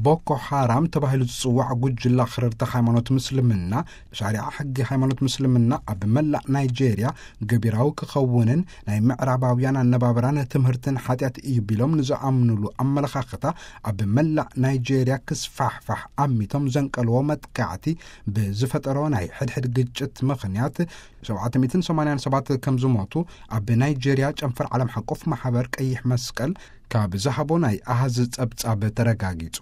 ቦኮ ሓራም ተባሂሉ ዝጽዋዕ ጉጅላ ኣኽረርቲ ሃይማኖት ምስልምና፣ ሻሪዓ ሕጊ ሃይማኖት ምስልምና ኣብ መላእ ናይጄርያ ገቢራዊ ክኸውንን ናይ ምዕራባውያን ኣነባብራን ትምህርትን ሓጢኣት እዩ ቢሎም ንዝኣምኑሉ ኣመለኻኽታ ኣብ መላእ ናይጄርያ ክስፋሕፋሕ ኣሚቶም ዘንቀልዎ መጥቃዕቲ ብዝፈጠሮ ናይ ሕድሕድ ግጭት ምኽንያት ሸውዓተ ሚእትን ሰማንያን ሰባት ከም ዝሞቱ ኣብ ናይጄርያ ጨንፈር ዓለም ሓቆፍ ማሕበር ቀይሕ መስቀል ካብ ዝሃቦ ናይ ኣሃዝ ጸብጻብ ተረጋጊጹ።